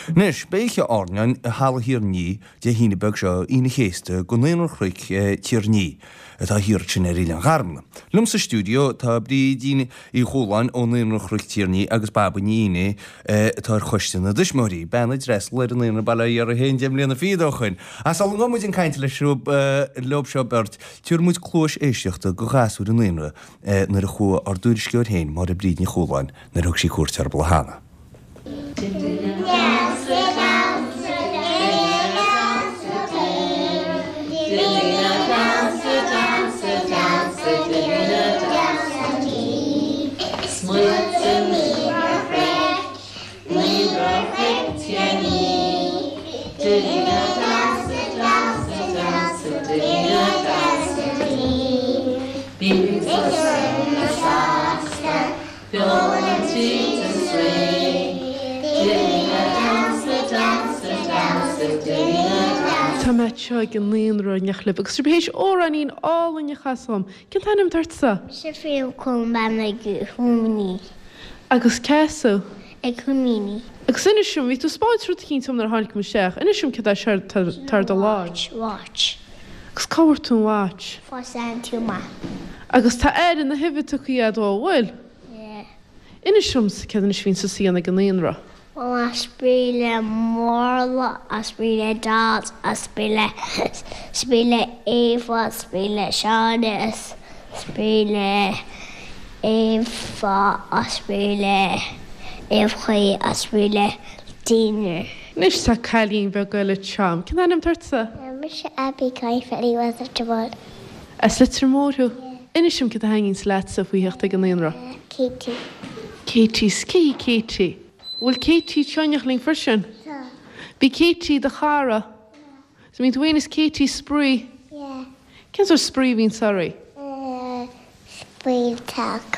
Anois, beidh oíche airneáin i Halla Thír an Fhia Dé hAoine beag seo, Aoine an Chéasta, do Naíonra Chnoic Tír an Fhia, atá thiar ansin ar Oileán Gharmna. Liom sa stiúideo tá Brídín Uí Chualáin ó Naíonra Chnoic Tír an Fhia agus Bairbre Ní Fhínné atá ar choiste na dtuismitheoirí, bean a d'fhreastal ar an naíonra bail ó Dhia uirthi féin 10 mbliana fichead ó shoin. Ach sula ngabhfaidh muid chun cainte leis leo seo beirt, tabharfaidh muid cluais éisteachta do ghasúir an naíonra nuair a chuaigh ár dtuairisceoir féin, Máire Bríd Ní Chualáin, nuair a thug sí cuairt orthu cheana. Tá mé anseo ag an naíonra in éineacht libh agus sibh théis amhráinín álainn a chasadh dom. Cén t-ainm atá ortsa? Mise Fiona Colman ag Húimíní. Agus cé as thú? Ag Húimíní. Agus inis dom, bhí tú ag spáint rud eicínt dom nuair a tháinig mé isteach. Inis dom céard é seo atá ar do láimh. Watch. Agus cá bhfuair tú an watch? Fuair Auntie Maith. Agus tá aire na huibhe tugtha agat ó, an bhfuil? Yeah. Inis domsa céard anois a bhíonn tusa a dhéanamh ag an naíonra. Bhuel a' spraoi le Morla, a' spraoi le Dad, a' spraoi le, spraoi le Éabha, spraoi le Seánie, a' spraoi le Éabha, a' spraoi le Éabhachaí, a' spraoi le Dina. Anois tá cailín beag eile anseo. Cén t-ainm atá ortsa? Mise Abby Caifetti as Leitir Móir. As Leitir Móir thú? Inis dom céard a thaitníonns leatsa faoi theacht ag an naíonra. Katie. Katie. Cé hí Katie? Bhfuil Katie anseo in éineacht linn freisin? Tá. B'í Katie do chara? Yeah. So bíonn tú féin is Katie ag spraoi? Yeah. Cén sórt spraoi a bhíonns oraibh? Spraoi teach.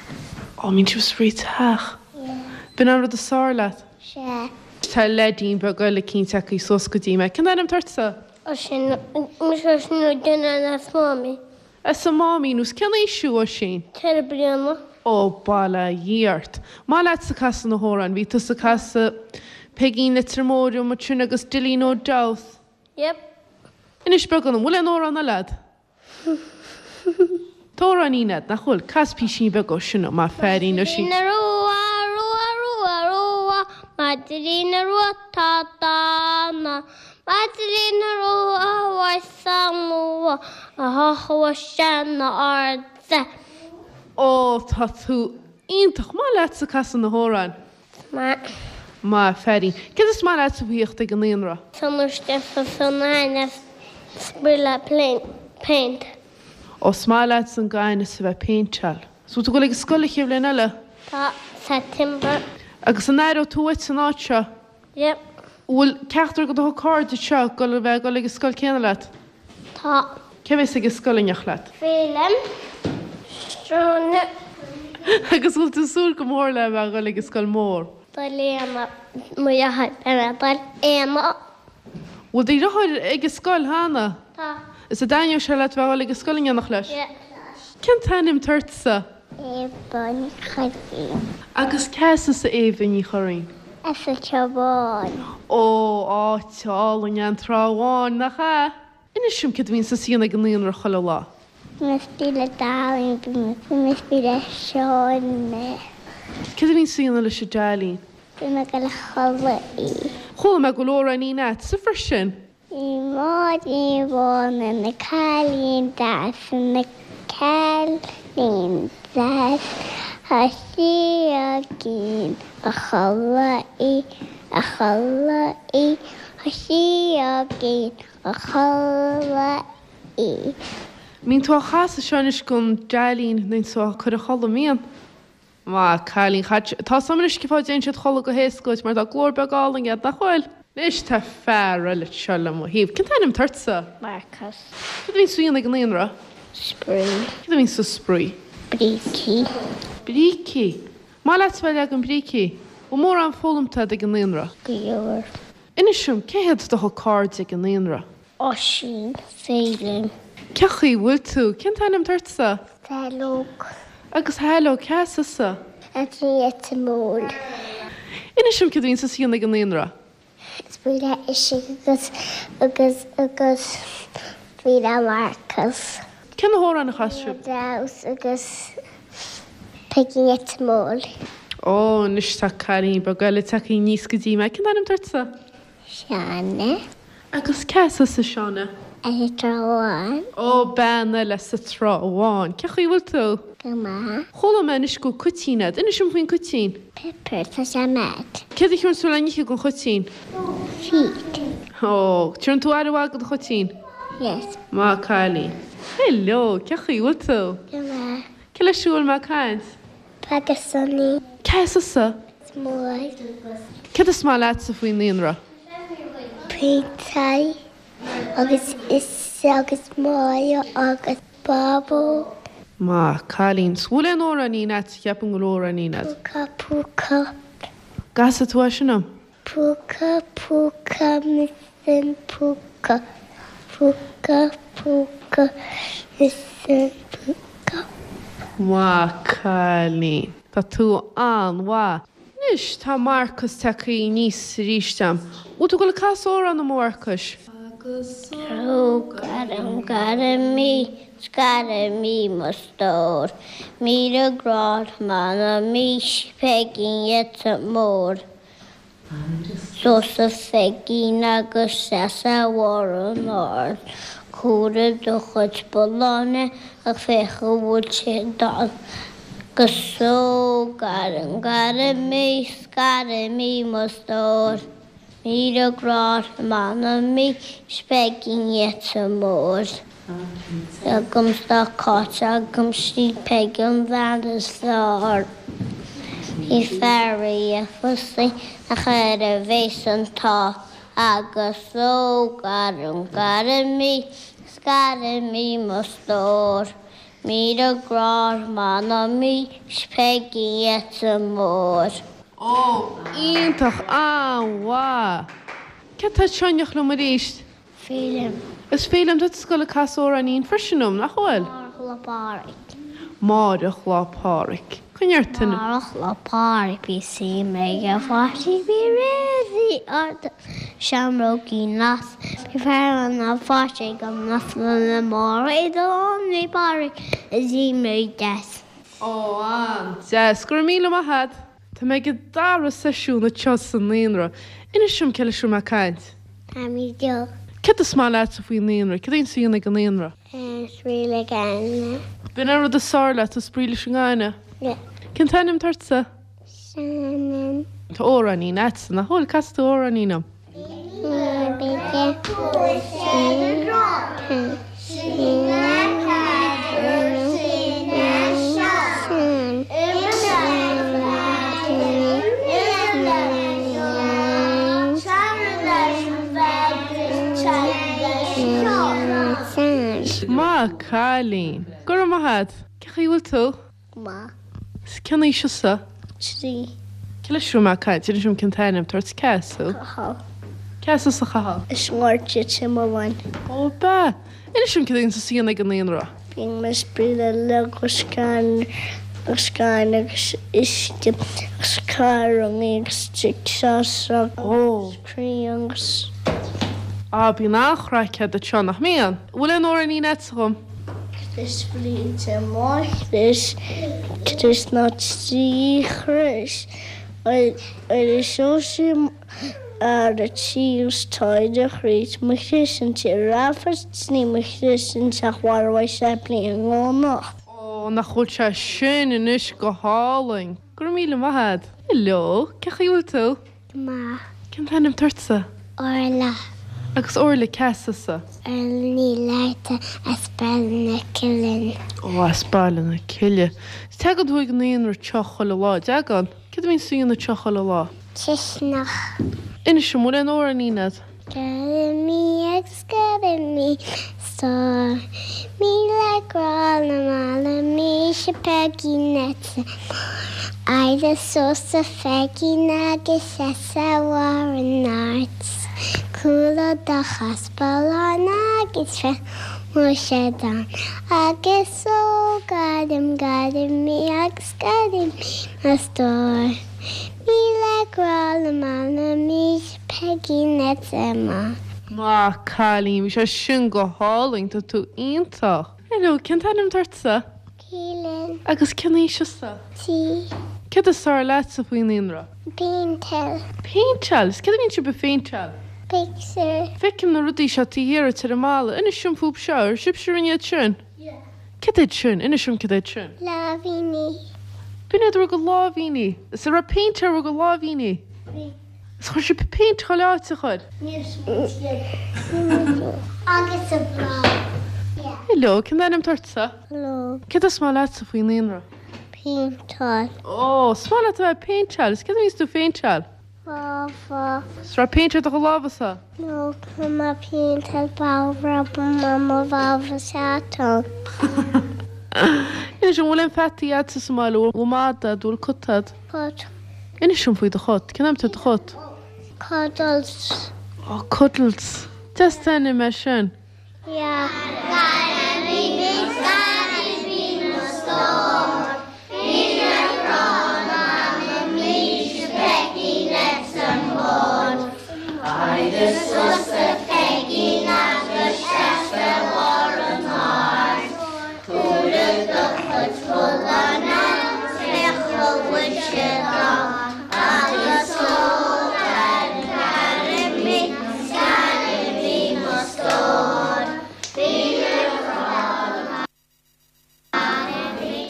Ó, bíonn sibh ag spraoi teach? Yeah. B'in an rud is fearr leat? Sea. Tá leaidín beag eile cinnte acu suas go dtí mé. Cén t-ainm atá ortsa? Oisín, Mise Oisín Ó Duinneáin as Máimín. As an Máimín, Agus cén aois thú, Oisín? 4 bliana. Ó, bail ó Dhia ort. Maith leatsa casadh na hamhráin. Bhí tusa ag casadh Peigín Leitir Móir dom ansin agus Dilly No Doubt. Yep. Inis beagán dom, bhfuil aon amhrán eile a'd? Tá amhráinín a'd, nach bhfuil? Cas písín beag ó sin dom, a fheairín, Oisín. Maidrín Rua, rua, rua, rua, Maidrín rua tá dána. Maidrín rua uair nua, a thua seana arda. Ó, tá tú iontach. Maith leatsa casadh na hamhráin. Maith. Maith, a fheairín. Céard is maith leatsa faoi theacht ag an naíonra? San spraoi le péint. Ó, is maith leatsa an gaineamh is a bheith ag péinteáil. So bhfuil tú ag dul ag an scoil an chéad bhliain eile? Tá, September. Agus an aireoidh tú uait an áit seo? Yep. Bhfuil ceachtar de do chairde seo ag dul a bheith ag dul ag an scoil céanna leat? Tá. Cé a bheas ag an scoil in éineacht leat? Féilim. Sráine. Agus bhfuil tú ag súil go mór le bheith ag dul ag an scoil mór? Dul Éanna, mo dheartháir, beidh mé ag dul Éanna. Bhfuil do dheartháir ag an scoil cheana? Tá. Is an dtaitneoidh sé leat bheith ag dul ag an scoil in éineacht leis? Yeah. Cén t-ainm atá ortsa? Éabha Ní Churraoin. Agus cé as thusa Éabha Ní Churraoin? As an Trá Bháin. Ó, áit álainn é an Trá Bháin, nach ea? Inis dom céard a bhíonn tusa a dhéanamh ag an naíonra chuile lá. Bím ag spraoi le Dailín, bím ag spraoi le Seánie. Céard a bhíonn tusa a dhéanamh leis an Dailín? Bím ag dul a chodladh í. Chuala mé go bhfuil amhráinín a'dsa freisin. Bhí Máirín Bhán ina cailín deas, ina cailín deas, Tá sí againn a chodladh í, a chodladh í, Tá sí againn a chodladh í. Mbíonn tú á chasadh seo anois don Dailín nuair atá tú á cur a chodladh, mbíonn? Maith, cailín chaite. Tá 's a'm anois cén fáth a dtéann siad chodladh go héasca duit, mar tá glór beag álainn a'd, nach bhfuil? Anois tá fear eile anseo le mo thaobh. Cén t-ainm atá ortsa? Marcus. Céard a bhíonn tú a dhéanamh ag an naíonra? Spraoi. Céard a bhíonn tú ag spraoi? Brící. Brící. Maith leat a bheith ag leagan brící. Bhfuil mórán foghlamtha a'd ag an naíonra? Go leor. Inis dom, cé hiad do chuid cairde ag an naíonra? Oisín, Féilim. Cén chaoi a bhfuil tú? Cén t-ainm atá ortsa? Saileog. Agus Shaileog, cé as thusa? As Leitir Móir. Inis dom céard a bhíonn tusa a dhéanamh ag an naíonra? Spraoi le Oisín agus agus agus spraoi le Marcus. Cé na hamhráin a chas sibh? Damhsa agus Peigí Neita Mór. Ó, anois tá cailín beag eile tagtha aníos go dtí mé. Cén t-ainm atá ortsa? Seána. Agus cé as thusa, a Sheána? As an Trá Bháin. Ó, bean eile as an Trá Bháin. Cén chaoi a bhfuil tú? Go maith. Chuala mé anois go bhfuil cuitín agat. Inis dom faoin cuitín. Pepper, tá sé mad. Céard a thugann tú le n-ithe don chuitín? Feed. Ó, tugann tú aire mhaith do do chuitín? Yes. Maith cailín. Hello, cén chaoi a bhfuil tú? Go maith. Cé leis a bhfuil mé ag caint? Agus Sonny. Cé as thusa? Maigh. Céard is maith leatsa faoin naíonra? Péinteáil agus is agus Máire agus Bábó. Maith cailín. 'S bhfuil aon amhráinín agat? Cheapfainn go bhfuil amhráinín agat. Púca púca. Casfaidh tú é sin dom. Púca púca mise an púca púca púca mise an púca. Maith cailín. Tá tú an-mhaith. Anois tá Marcus tagtha aníos arís a'm. Bhfuil tú ag dul ag casadh amhrán dom a Mharcais? Agus ó gairim gairim í 's gairim í mo stór, 1000 grá m'anam í 's Peigín Neita Mór. Suas a Pheigín agus seas ar bharr an aird, Cumhraigh do chuid bulláin ach féach an bhfuil siad dall. Agus ó gairim, gairim í, 's gairim í mo stór, 1000 grá m'anam í, 's Peigín Neita Mór. Agam 's tá Cáit agam 'sí Peig an bhean is fearr. Bhí fear í a phósadh nach air a bhéas an t-ádh agus ó gairim gairim í 's gairim í mo stór. 1000 grá m'anam í 's Peigí Neita Mór. Ó, iontach, an-mhaith! Cé atá anseo in éineacht liom arís? Féilim. Is Féilim, tá tú ag dul ag casadh amhráinín freisin dom, nach bhfuil? Amárach Lá Pádraig. Amárach Lá Pádraig. Coinneoidh ort an. Amárach Lá Pádraig bí suim ag an pháistí bí réidh arda seamrógaí nas bí fear an pháiste ag an nas lena Máire i do Lá Pádraig is í mé deas. Ó, an-deas. Go raibh míle maith agat. Tá mé ag an dara seisiún anseo sa naíonra. Inis dom cé leis a bhfuil mé ag caint. Amy Jo. Céard is maith leatsa faoin naíonra? Céard a bhíonn tú a dhéanamh ag an naíonra? Spraoi le Gaine. B'in an rud is fearr leat, spraoi leis an ngaine? Yeah. Cén t-ainm atá ortsa? Shannon. Tá amhráinín agatsa, nach bhfuil? Casfaidh tú amhráinín dom. Maith cailín. Go raibh maith agat. Cén chaoi a bhfuil tú? Maith. 'S cén aois thusa? 3. Cé leis a bhfuil mé ag caint? Inis dom cén t-ainm atá ort. Cé as thú? Cathal. Cé as thusa, a Chathail? As an nGort sa Mhuileann. Ó, ab ea? Inis dom céard a bhíonn tusa a dhéanamh ag an naíonra? Bíonn mé ag spraoi le Lego agus scan agus uisce agus carrannaí agus jigsaws agus crainn agus. Á, bíonn an-chraic agat anseo, nach mbíonn? Bhfuil aon amhráinín agatsa dhom? Crios Bhríde mo chrios, crios ná 3 chrios, ar a seosamh ar a tíos taighde chrios mo chrios an tí rafas ní mo chrios an teach mharbhaidh sé bliain anocht. Ó, nach bhfuil sé sin anois go hálainn! Go raibh míle maith agat. Hello, cén chaoi a bhfuil tú? Go maith. Cén t-ainm atá ortsa? Orla. Agus Orla, cé as thusa? Orla Ní Fhlatharta as Baile na Cille. Ó, as Baile na Cille. Tagann tú ag an naíonra anseo chuile lá, dtagann? Céard a bhíonn tú a dhéanamh anseo chuile lá? Cisteanach. Inis dom, bhfuil aon amhráinín agat? Gairim í agus gairim í stór. 1000 grá le m'anam í 'se Peigí Neita Mór. Éirigh suas a Pheigín agus seas ar bharr an aird. Cumhraigh do chos ballán agus féach an bhfuil siad ann. Agus ó gairim, gairim í agus gairim í mo stór. 1000 grá le m'anam í 'se. Peigín Ned Emma. Maith cailín, bhí sé sin go hálainn, tá tú iontach. Hello, cén t-ainm atá ortsa? Keelan. Agus cén aois thusa? 3. Céard is fearr leatsa faoin naíonra? Péinteáil. Péinteáil? Is céard a bhíonn sibh ag phéinteáil? Pictiúir. Feicim na rudaí seo taobh thiar duit ar an mballa. Inis dom fúb seo, ar sibhse a rinne iad sin? Yeah. Céard iad sin? Inis dom céard iad sin. Láimhíní. B'in iad bhur gcuid láimhíní. Is an raibh péint ar bhur gcuid láimhíní? Bhí. Is chuir sibh péint chuile áit a chuir? Agus sa bhláth. Hello, cén t-ainm atá ortsa? Hello. Céard is maith leatsa faoin naíonra? Péinteáil. Ó, is maith leat a bheith ag péinteáil. Is céard a bhíonns tú ag péinteáil? Lámha. Is raibh péint ar do chuid lámhasa? No, tá mé ag péinteáil babhra mo lámha seatán. Inis, an bhfuil aon pheataí agatsa sa mbaile? Bhfuil mada agat, bhfuil cat agat? Cat. Inis dom faoi do chat. Cén ainm atá ar do chat? Cuddles. Ó, Cuddles. Deas an t-ainm é sin. Yeah.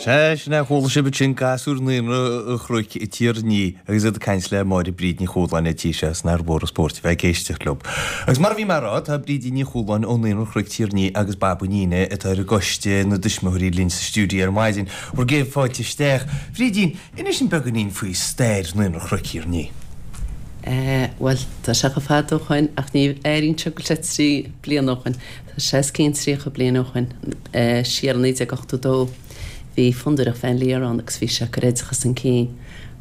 Sea, sin é, chuala sibh ansin gasúir Naíonra an Chnoic i Tír an Fhia agus iad ag caint le Máire Bríd Ní Chualáin an tí seo is nár mhór an spórt a bheith ag éisteacht leo. Agus mar a bhí mé a rá, tá Brídín Ní Chualáin ó Naíonra an Chnoic Tír an Fhia agus Baba Nína atá ar an gcoiste na dtuismitheoirí linn sa stiúideo ar maidin. Bhur gcéad fáilte isteach. Brídín, inis dúinn beagáinín faoi stair Naíonra an Chnoic Thír an Fhia. Eh, bhuel, tá sé chomh fada ó shoin ach ní airíonn sé go bhfuil sé trí bliana ó shoin. Tá sé os cionn 30 bliain ó shoin, eh, siar i 1982 bhí Fondúireacht Van Lier ann agus bhí sé ag cur oideachas chun cinn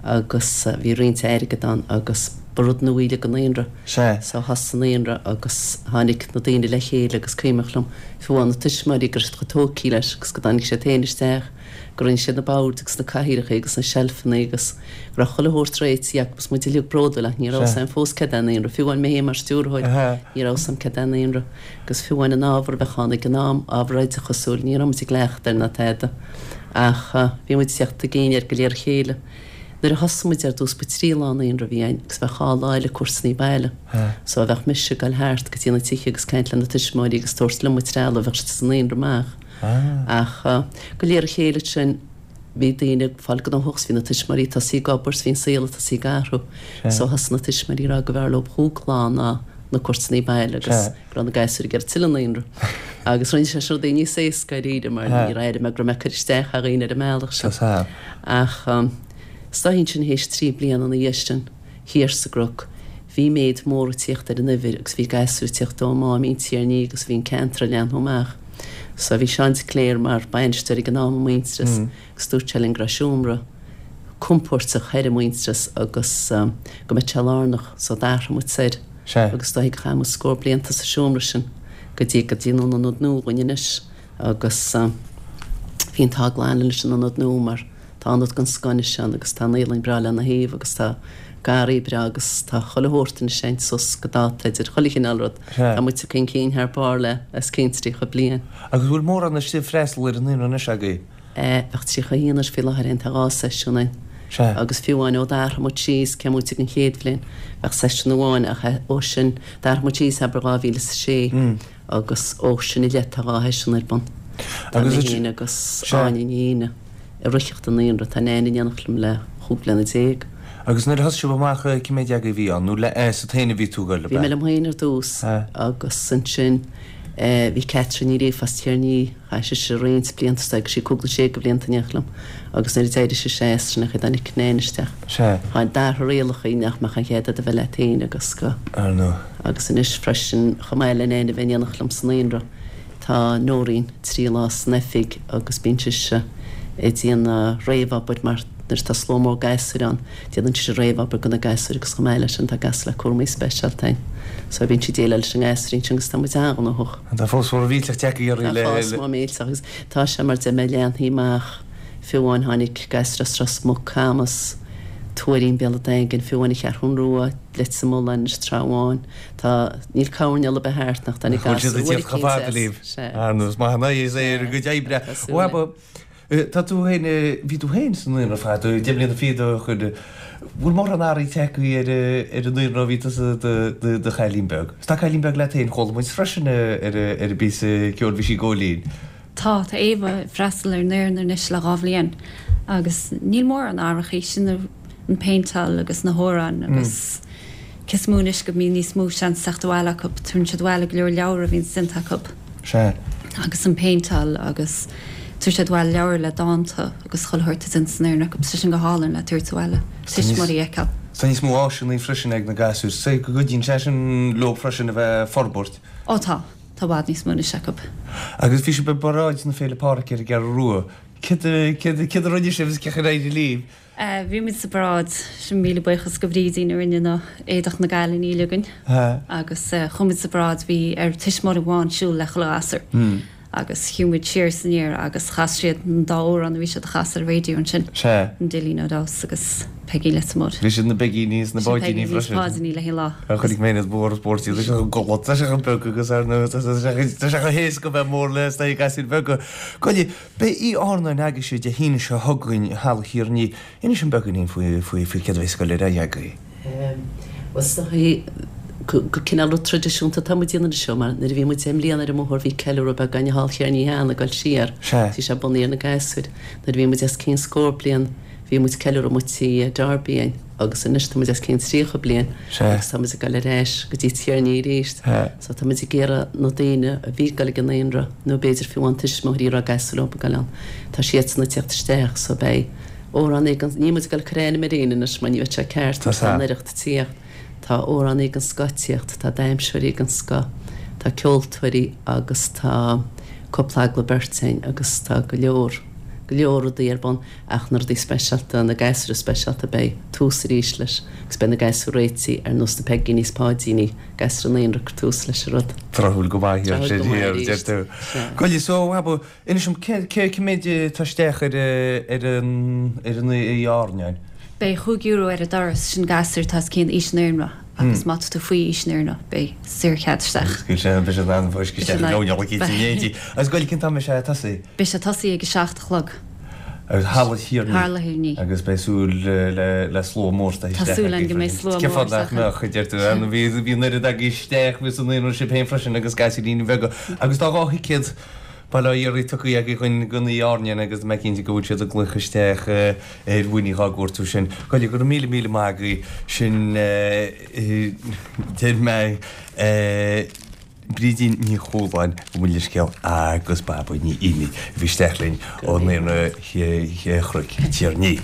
agus bhí roinnt airgead ann agus ba rud nua uilig an naíonra. Sea. So thosaigh an naíonra agus tháinig na daoine le chéile agus cuimhneach liom fiú amháin na tuismitheoirí go raibh siad chomh tógtha leis agus go dtáinig siad féin isteach go rinne siad na boird agus na cathaoireacha agus na seilfeanna agus go raibh chuile shórt réitithe acu agus muid uilig bródúil ach ní raibh 'fhios a'm fós céard é naíonra, fiú amháin mé féin mar stiúrthóir ní raibh 'fhios a'm céard é naíonra agus fiú amháin an ábhar a bheadh ann ag an am, ábhar oideachasúil, ní raibh muid ag cleachtadh air ná tada ach bhí muid ag teacht chun cinn air de réir a chéile. Nuair a thosaigh muid ar dtús ba trí lá naíonra a bhí ann agus bheadh dhá lá eile cuairteanna baile. So bheadh mise ag goil thart go dtí na tithe agus caint le na tuismitheoirí agus tabhairt liom an trealamh bheadh siad sa naíonra amach. Ach de réir a chéile ansin bhí daoine ag fáil gnóthach 's bhí na tuismitheoirí ag tosaí ag obair 's bhí an saol ag tosaí ag athrú. So thosaigh na tuismitheoirí ag rá go mb'fhearr leo chúig lá ná na cuairteanna baile agus go raibh na gasúir ag iarraidh tuilleadh naíonra. Agus rinne sé sin rudaí níos éasca dáiríre mar níor airigh mé go raibh mé ag cur isteach ar dhaoine ar an mbealach sin. Ach is dóichí ansin théis trí bliana ina dhiaidh sin, thiar sa gCnoc, bhí méid mór ag tíocht ar an uimhir agus bhí gasúir ag tíocht ó Máimín, Tír an Fhia agus bhí an ceantar ag leathnú amach. So bhí Seán de Cléir mar bainisteoir ag an am i Muintearas agus dúirt sé linn go raibh seomra compóirteach thoir i Muintearas agus go mbeadh sé lárnach so d'athraigh muid soir agus is dóichí gur chaith muid scór blianta sa seomra sin go dtí go dtí an ionad nua againn anois agus bhí an t-ádh glan linn leis an ionad nua mar Tá ionad den scoth anois ann agus tá naíolann breá lena thaobh agus tá garraí breá agus tá chuile shórt anois ann suas go dáta idir chuile chineál rud. Tá muid tagtha chun cinn thar barr le os cionn 30 bliain. Agus bhfuil mórán istigh ag freastal ar an naíonra anois agaibh? Bheadh 31 anois faoi láthair ann, tá dhá seisiún ann. Sea. Agus fiú amháin ó d'athraigh muid síos, cé muid ag an chéad bhliain, bheadh seisiún amháin ach ó sin, d'athraigh muid síos abair 2006. Agus ó sin i leith tá dhá sheisiún ar bun. Tá mé féin agus Áine Ní Éanna ag ritheacht an naíonra. Tá Neain in éineacht liom le chúig bliana déag. Agus nuair a thosaigh sibh amach cé mhéad agaibh a bhí ann? Nó leatsa féin a bhí tú ag goil, ab ea? Bhí mé liom féin ar dtús agus ansin bhí Catherine Ní Ríofa as Tír an Fhia, Chaith sise roinnt blianta istigh agus sí cúig nó sé de bhlianta in éineacht liom agus nuair a d'éirigh sise as, sin é an chaoi a dtáinig Nain isteach. Sea. Tháinig d'athraigh rialacha nach mbeadh aon chead agat a bheith leat féin agus go. Ar ndóigh. Agus anois freisin, chomh maith le Nain a bheith in éineacht liom sa naíonra, tá Nóirín trí lá san oifig agus bíonn sise ag déanamh réamhobair mar nuair atá slua mór gasúir ann, Déanann sise réamhobair do na gasúir agus chomh maith leis sin tá gasúir le cúramaí speisialta ann. So bíonn sí ag déileáil leis an ngasúirín sin agus tá muid an-ghnóthach. Tá fás mór millteach tagtha oraibh le. Tá fás mór millteach agus tá sé mar deir mé leathnaithe amach. Fiú amháin tháinig gasúir as Ros Muc, Camas. Tuairín, Béal an Daingin, fiú amháin an Cheathrún Rua, Leitir Mealláin, anois Trá Bháin. Tá, níl coirnéal ar bith thart nach dtáinig Bhfuil siad gasúr ag tíocht chomh fada libh? Sea. Ar nós maith an aghaidh is é ar a gcuid oibre. Tá súil againn. Tá tú féin, bhí tú féin sa naíonra fada, 10 mbliana fichead ó shin. Bhfuil mórán athraithe tagtha ar ar an naíonra ó bhí tusa i do chailín beag? Is tá cailín beag leat féin, chuala muid freisin ar an bpíosa ceoil, bhí sí ag Góilín. Tá, tá Éabha ag freastal ar an naíonra anois le 2 bhliain agus níl mórán athrachaí, sin an péinteáil agus na hamhráin agus cé is mó anois go mbíonn níos mó seans teacht abhaile acu, tabharann siad abhaile go leor leabhar a bhíonns déanta acu. Sea. Agus an péinteáil agus tabharann siad abhaile leabhar le dánta agus chuile shórt atá déanta sa naíonra acu, tá sin go hálainn le tabhairt abhaile, tuismitheoirí a fheiceáil. Tá níos mó áiseanna freisin ag na gasúir, so go gcuidíonn sé sin leo freisin a bheith ag forbairt. Ó tá. Tá i bhfad níos mó anois acu. Agus bhí sibh i bparáid na Féile Pádraig ar an gCeathrú Rua. Céard a rinne sibh is cén chaoi ar éirigh libh? Bhí muid sa bparáid. Sin míle buíochas go Bhrídín a rinne na éadach na gcailíní uilig againn. Agus chuaigh muid sa bparáid, bhí ar tuismitheoir amháin siúl le chuile ghasúr. Agus shiúil muid siar is aniar agus chas siad an dá amhrán a bhí siad a chasadh ar an raidió ansin. Sea. An Dillín Ó Deas agus Peigín Leitir Móir. Bhí siad na Peigíní is na Páidíní freisin. Peigíní is Páidíní le haghaidh lá. Chonaic mé iad mór is mór tá sé chomh gulach, tá sé chomh beag agus ar ndóigh tá sé chomh héasca bheith mór le sna gasúir bheaga. Gabh i leith, beidh Oíche Airneáin agaibhse Dé hAoine seo chugainn i Halla Thír an Fhia. Inis dom beagáinín faoi faoi faoi céard a bheas ag dul ar aghaidh agaibh. Bhuel is dóigh gur cineál rud traidisiúnta atá muid a dhéanamh anseo mar nuair a bhí muid 10 mbliana ar an mbóthar bhí ceiliúradh beag againn i Halla Thír an Fhia cheana ag dul siar. Sea. Bhí sé bunaithe ar na gasúir. Nuair a bhí muid os cionn scór bliain bhí muid ceiliúradh amuigh tí Darby againn agus anois tá muid os cionn 30 bliain Sea. agus tá muid ag dul ar ais go dtí Tír an Fhia arís. Sea. So tá muid ag iarraidh na daoine a bhí ag dul ag an naíonra nó b'fhéidir fiú amháin tuismitheoirí a raibh gasúir leo ag dul ann, tá siadsan ag tíocht isteach so beidh amhránaí den, níl muid ag dul ag cur ainm ar éinne anois mar ní bheadh sé ceart Tá mar tá sea. an oidhreacht ag tíocht. Tá amhránaí den scoth ag tíocht, tá damhsóirí den scoth, tá ceoltóirí agus tá cúpla agallamh beirte againn agus tá go leor, go leor rudaí ar bun ach na rudaí speisialta, na gasúir speisialta beidh tús arís leis agus beidh na gasúir réitithe ar nós na Peigíní is Páidíní, gasúir an naíonra ag cur tús leis an rud. Tráthúil go maith Tráthúil sin go maith thiar, arís. deir tú. Sea. Gabh i leith, so, Abba, Inis dom, cé cé méid atá isteach ar ar an ar an oíche airneáin? Beidh €5 ar an doras, sin gasúir atá os cionn aois an naíonra agus má tá tú faoi aois an naíonra beidh saorchead isteach. Agus go beidh siad in ann fáisceadh isteach i gcoinne a cinn éidí. Agus gabh i leith cén t-am a mbeidh sé ag tosaí? Beidh sé ag tosaí ag a 7 a chlog. Agus Halla Thír an Fhia. Halla Thír an Fhia. Agus beidh súil le le slua mór isteach Tá súil againn go mbeidh slua mór Cén fáth nach isteach. mbeadh, a deir tú. Bhí bhí an oiread agaibh isteach, bhí sa naíonra sibh féin freisin agus gasúiríní beaga. Agus tá 2 thicéad Bail ó Dhia oraibh tugtha agaibh don oíche airneáin agus tá mé cinnte go bhfuil siad ag glaoch isteach ar mhuinín dhá gcuartú sin. Gabh i leith, go raibh míle míle maith agaibh. Sin deir mé Brídín Ní Chualáin, gabh mo leithscéal agus Baba Ní Fhínnéigh a bhí isteach linn ó Naíonra Chnoic Tír an Fhia.